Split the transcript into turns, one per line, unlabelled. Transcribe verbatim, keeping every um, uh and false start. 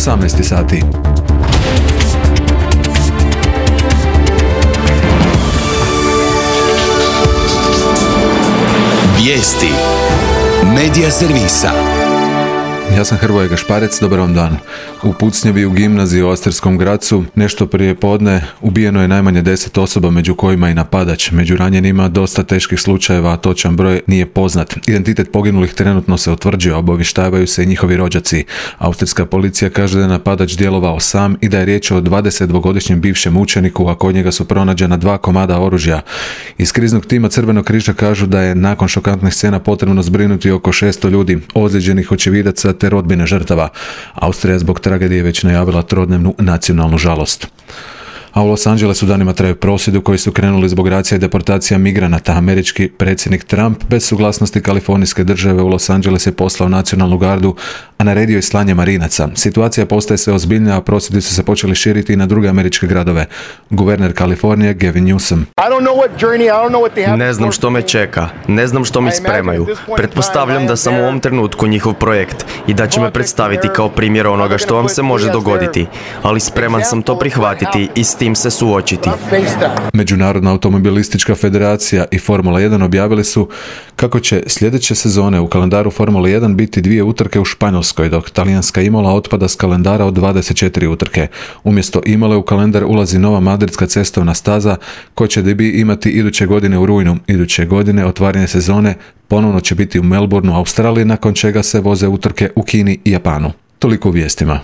osamnaest sati.
Vijesti Medija servisa.
Ja sam Hrvoje Gašparec, dobar vam dan. U pucnjavi u gimnaziji u Ostarskom Gracu nešto prije podne ubijeno je najmanje deset osoba, među kojima i napadač. Među ranjenima dosta teških slučajeva, a točan broj nije poznat. Identitet poginulih trenutno se utvrđuje, obavještavaju se i njihovi rođaci. Austrijska policija kaže da je napadač djelovao sam i da je riječ o dvadesetdvogodišnjem bivšem učeniku, a kod njega su pronađena dva komada oružja. Iz kriznog tima Crvenog križa kažu da je nakon šokantnih scena potrebno zbrinuti oko šesto ljudi, ozlijeđenih očevidaca te rodbine žrtava. Austrija zbog tragedije već najavila trodnevnu nacionalnu žalost. A u Los Angelesu danima traju prosvjedi koji su krenuli zbog racija i deportacija migranata. Američki predsjednik Trump bez suglasnosti kalifornijske države u Los Angeles je poslao nacionalnu gardu, a naredio je slanje marinaca. Situacija postaje sve ozbiljnija, a prosvjedi su se počeli širiti i na druge američke gradove. Guverner Kalifornije Gavin Newsom.
Ne znam što me čeka, ne znam što mi spremaju. Pretpostavljam da sam u ovom trenutku njihov projekt i da će me predstaviti kao primjer onoga što vam se može dogoditi, ali spreman sam to prihvatiti i s tim se suočiti.
Međunarodna automobilistička federacija i Formula jedan objavili su kako će sljedeće sezone u kalendaru Formule jedan biti dvije utrke u Španjolskoj, dok talijanska Imola otpada s kalendara od dvadeset četiri utrke. Umjesto Imole u kalendar ulazi nova madridska cestovna staza koja će debi imati iduće godine u rujnu. Iduće godine otvaranje sezone ponovno će biti u Melbourneu, Australiji, nakon čega se voze utrke u Kini i Japanu. Toliko u vijestima.